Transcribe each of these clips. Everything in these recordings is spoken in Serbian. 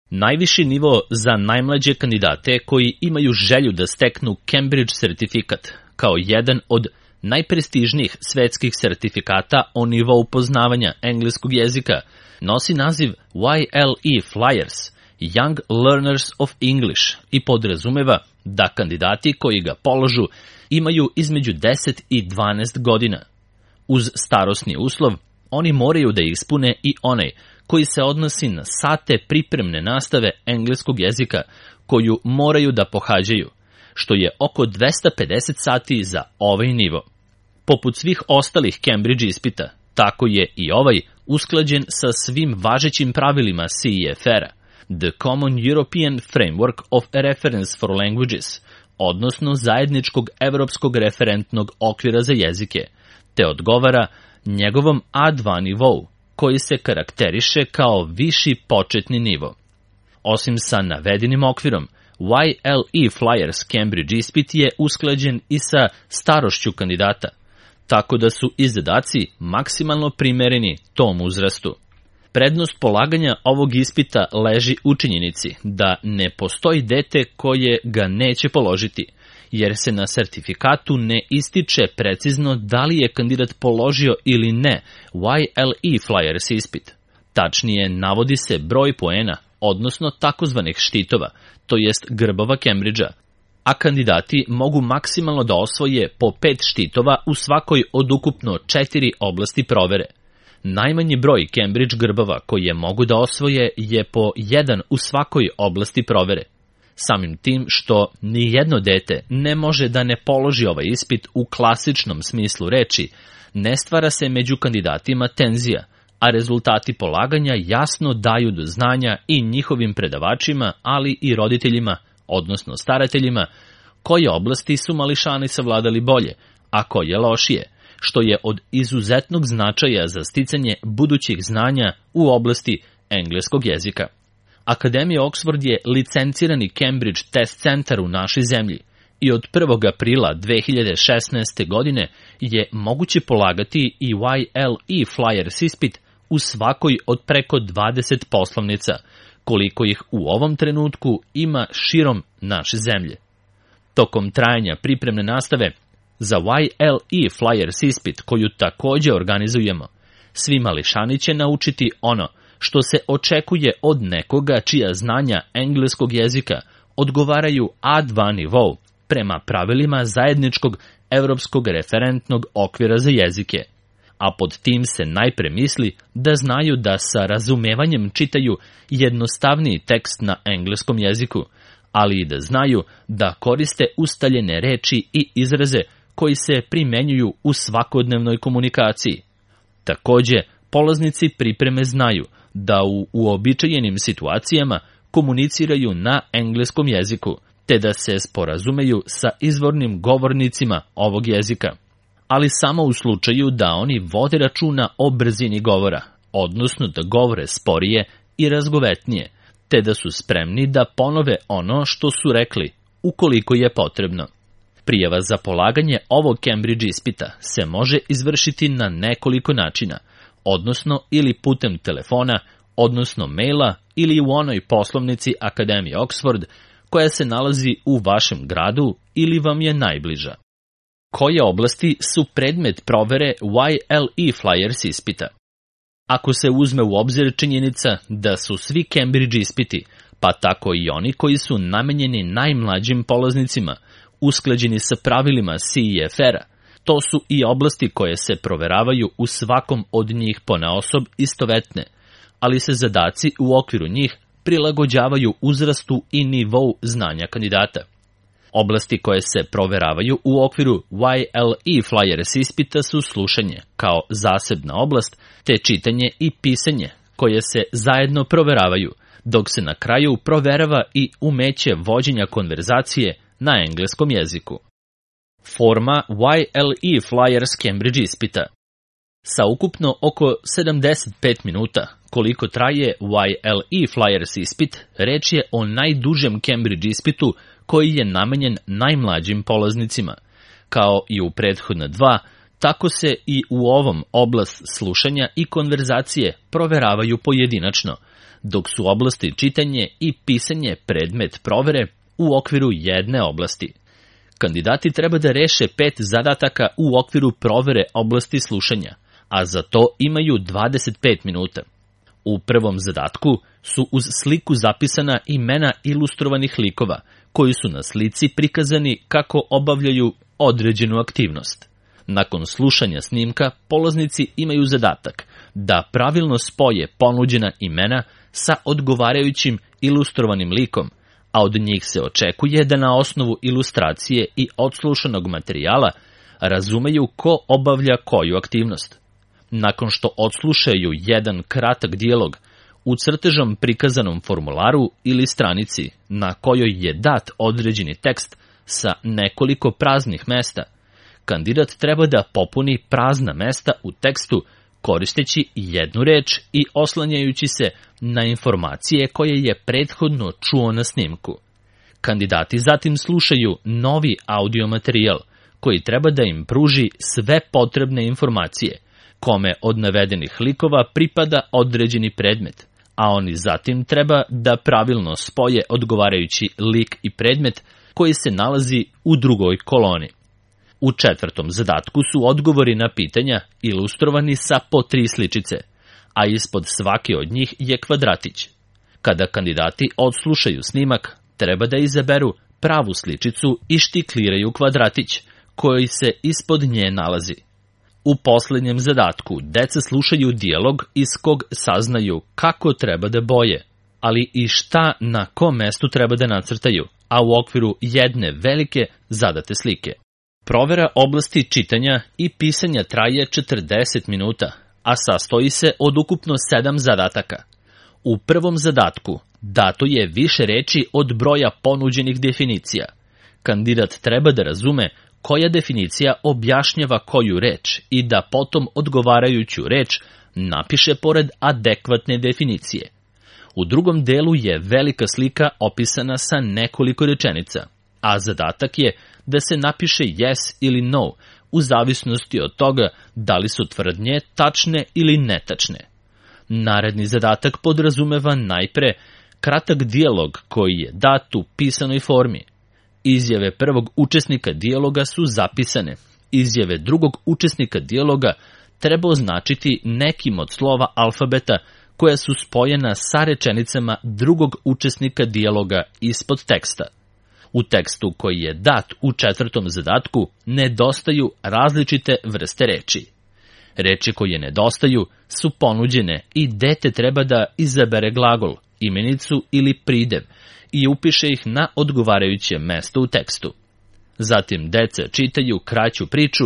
Najviši nivo za najmlađe kandidate koji imaju želju da steknu Cambridge sertifikat kao jedan od najprestižnijih svetskih sertifikata o nivou poznavanja engleskog jezika nosi naziv YLE Flyers, Young Learners of English, i podrazumeva da kandidati koji ga polažu imaju između 10 i 12 godina. Uz starosni uslov, oni moraju da ispune i onaj koji se odnosi na sate pripremne nastave engleskog jezika koju moraju da pohađaju, što je oko 250 sati za ovaj nivo. Poput svih ostalih Cambridge ispita, tako je i ovaj usklađen sa svim važećim pravilima CEFR-a, The Common European Framework of Reference for Languages, odnosno zajedničkog evropskog referentnog okvira za jezike, te odgovara njegovom A2 nivou, koji se karakteriše kao viši početni nivo. Osim sa navedenim okvirom, YLE Flyers Cambridge ispit je usklađen i sa starošću kandidata, tako da su i zadaci maksimalno primereni tom uzrastu. Prednost polaganja ovog ispita leži u činjenici da ne postoji dete koje ga neće položiti, jer se na sertifikatu ne ističe precizno da li je kandidat položio ili ne YLE Flyers ispit. Tačnije, navodi se broj poena, odnosno takozvanih štitova, to jest grbova Cambridgea, a kandidati mogu maksimalno da osvoje po 5 štitova u svakoj od ukupno 4 oblasti provere. Najmanji broj Cambridge grbova koje mogu da osvoje je po 1 u svakoj oblasti provere. Samim tim što ni jedno dete ne može da ne položi ovaj ispit u klasičnom smislu reči, ne stvara se među kandidatima tenzija, a rezultati polaganja jasno daju do znanja i njihovim predavačima, ali i roditeljima, odnosno starateljima, koje oblasti su mališani savladali bolje, a koje lošije, što je od izuzetnog značaja za sticanje budućih znanja u oblasti engleskog jezika. Akademija Oxford je licencirani Cambridge Test Centar u našoj zemlji i od 1. aprila 2016. godine je moguće polagati i YLE Flyers ispit u svakoj od preko 20 poslovnica, koliko ih u ovom trenutku ima širom naše zemlje. Tokom trajanja pripremne nastave za YLE Flyers ispit, koju takođe organizujemo, svi mališani će naučiti ono što se očekuje od nekoga čija znanja engleskog jezika odgovaraju A2 nivou prema pravilima zajedničkog evropskog referentnog okvira za jezike. A pod tim se najpre misli da znaju da sa razumevanjem čitaju jednostavniji tekst na engleskom jeziku, ali i da znaju da koriste ustaljene reči i izraze koji se primenjuju u svakodnevnoj komunikaciji. Takođe, polaznici pripreme znaju da u uobičajenim situacijama komuniciraju na engleskom jeziku, te da se sporazumeju sa izvornim govornicima ovog jezika, ali samo u slučaju da oni vode računa o brzini govora, odnosno da govore sporije i razgovetnije, te da su spremni da ponove ono što su rekli, ukoliko je potrebno. Prijava za polaganje ovog Cambridge ispita se može izvršiti na nekoliko načina, odnosno ili putem telefona, odnosno maila, ili u onoj poslovnici Akademije Oxford koja se nalazi u vašem gradu ili vam je najbliža. Koje oblasti su predmet provere YLE Flyers ispita? Ako se uzme u obzir činjenica da su svi Cambridge ispiti, pa tako i oni koji su namenjeni najmlađim polaznicima, usklađeni sa pravilima CEFR-a, to su i oblasti koje se proveravaju u svakom od njih ponaosob istovetne, ali se zadaci u okviru njih prilagođavaju uzrastu i nivou znanja kandidata. Oblasti koje se proveravaju u okviru YLE Flyers ispita su slušanje kao zasebna oblast, te čitanje i pisanje koje se zajedno proveravaju, dok se na kraju proverava i umeće vođenja konverzacije na engleskom jeziku. Forma YLE Flyers Cambridge ispita. Sa ukupno oko 75 minuta, koliko traje YLE Flyers ispit, reč je o najdužem Cambridge ispitu koji je namenjen najmlađim polaznicima. Kao i u prethodna dva, tako se i u ovom oblast slušanja i konverzacije proveravaju pojedinačno, dok su oblasti čitanje i pisanje predmet provere u okviru jedne oblasti. Kandidati treba da reše 5 zadataka u okviru provere oblasti slušanja, a za to imaju 25 minuta. U prvom zadatku su uz sliku zapisana imena ilustrovanih likova, koji su na slici prikazani kako obavljaju određenu aktivnost. Nakon slušanja snimka, polaznici imaju zadatak da pravilno spoje ponuđena imena sa odgovarajućim ilustrovanim likom, a od njih se očekuje da na osnovu ilustracije i odslušanog materijala razumeju ko obavlja koju aktivnost. Nakon što odslušaju jedan kratak dijalog u crtežom prikazanom formularu ili stranici na kojoj je dat određeni tekst sa nekoliko praznih mesta, kandidat treba da popuni prazna mesta u tekstu koristeći jednu reč i oslanjajući se na informacije koje je prethodno čuo na snimku. Kandidati zatim slušaju novi audio materijal koji treba da im pruži sve potrebne informacije, kome od navedenih likova pripada određeni predmet, a oni zatim treba da pravilno spoje odgovarajući lik i predmet koji se nalazi u drugoj koloni. U četvrtom zadatku su odgovori na pitanja ilustrovani sa po 3 sličice, a ispod svake od njih je kvadratić. Kada kandidati odslušaju snimak, treba da izaberu pravu sličicu i štikliraju kvadratić, koji se ispod nje nalazi. U poslednjem zadatku deca slušaju dijalog iz kog saznaju kako treba da boje, ali i šta na kom mestu treba da nacrtaju, a u okviru jedne velike zadate slike. Provera oblasti čitanja i pisanja traje 40 minuta, a sastoji se od ukupno 7 zadataka. U prvom zadatku dato je više reči od broja ponuđenih definicija. Kandidat treba da razume koja definicija objašnjava koju reč i da potom odgovarajuću reč napiše pored adekvatne definicije. U drugom delu je velika slika opisana sa nekoliko rečenica, a zadatak je da se napiše yes ili no, u zavisnosti od toga da li su tvrdnje tačne ili netačne. Naredni zadatak podrazumeva najpre kratak dijalog koji je dat u pisanoj formi. Izjave prvog učesnika dijaloga su zapisane. Izjave drugog učesnika dijaloga treba označiti nekim od slova alfabeta koja su spojena sa rečenicama drugog učesnika dijaloga ispod teksta. U tekstu koji je dat u četvrtom zadatku nedostaju različite vrste reči. Reči koje nedostaju su ponuđene i dete treba da izabere glagol, imenicu ili pridev i upiše ih na odgovarajuće mesto u tekstu. Zatim deca čitaju kraću priču,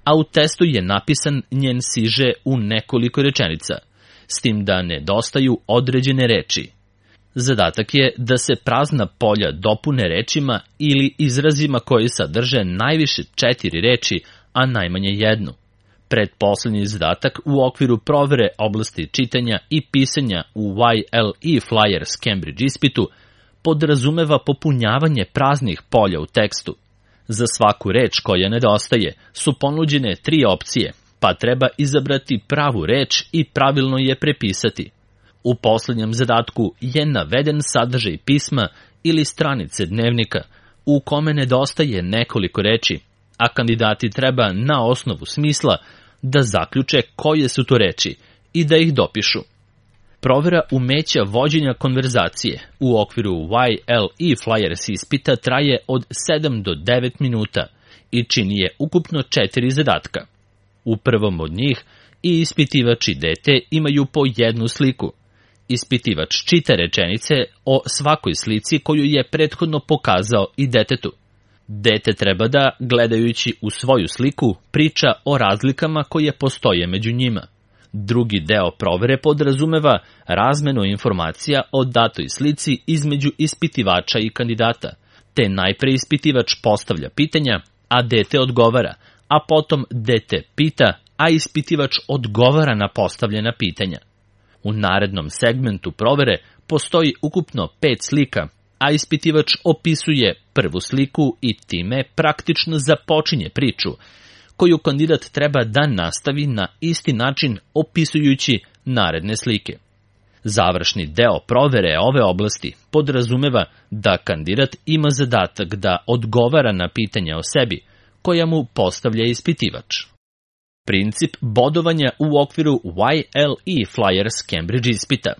a u testu je napisan njen siže u nekoliko rečenica, s tim da nedostaju određene reči. Zadatak je da se prazna polja dopune rečima ili izrazima koji sadrže najviše 4 reči, a najmanje jednu. Pretposlednji zadatak u okviru provere oblasti čitanja i pisanja u YLE Flyers Cambridge ispitu podrazumeva popunjavanje praznih polja u tekstu. Za svaku reč koja nedostaje su ponuđene 3 opcije, pa treba izabrati pravu reč i pravilno je prepisati. U poslednjem zadatku je naveden sadržaj pisma ili stranice dnevnika u kome nedostaje nekoliko reči, a kandidati treba na osnovu smisla da zaključe koje su to reči i da ih dopišu. Provera umeća vođenja konverzacije u okviru YLE Flyers ispita traje od 7 do 9 minuta i čini je ukupno 4 zadatka. U prvom od njih i ispitivač i dete imaju po jednu sliku. Ispitivač čita rečenice o svakoj slici koju je prethodno pokazao i detetu. Dete treba da, gledajući u svoju sliku, priča o razlikama koje postoje među njima. Drugi deo provere podrazumeva razmenu informacija o datoj slici između ispitivača i kandidata, te najpre ispitivač postavlja pitanja, a dete odgovara, a potom dete pita, a ispitivač odgovara na postavljena pitanja. U narednom segmentu provere postoji ukupno 5 slika, a ispitivač opisuje prvu sliku i time praktično započinje priču, koju kandidat treba da nastavi na isti način opisujući naredne slike. Završni deo provere ove oblasti podrazumeva da kandidat ima zadatak da odgovara na pitanja o sebi koja mu postavlja ispitivač. Princip bodovanja u okviru YLE Flyers Cambridge ispita.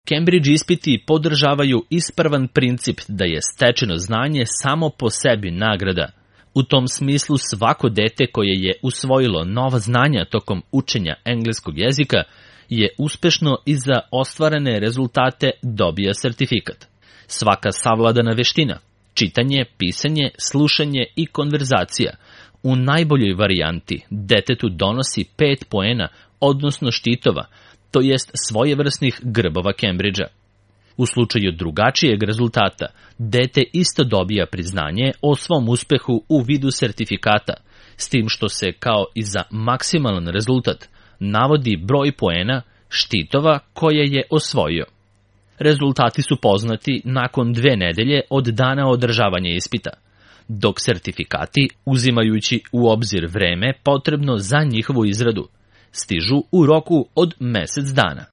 Cambridge ispiti podržavaju ispravan princip da je stečeno znanje samo po sebi nagrada. U tom smislu svako dete koje je usvojilo nova znanja tokom učenja engleskog jezika je uspešno i za ostvarene rezultate dobija sertifikat. Svaka savladana veština, čitanje, pisanje, slušanje i konverzacija, u najboljoj varijanti detetu donosi 5 poena, odnosno štitova, to jest svojevrsnih grbova Cambridgea. U slučaju drugačijeg rezultata, dete isto dobija priznanje o svom uspehu u vidu sertifikata, s tim što se, kao i za maksimalan rezultat, navodi broj poena, štitova koje je osvojio. Rezultati su poznati nakon 2 nedelje od dana održavanja ispita, dok sertifikati, uzimajući u obzir vreme potrebno za njihovu izradu, stižu u roku od mesec dana.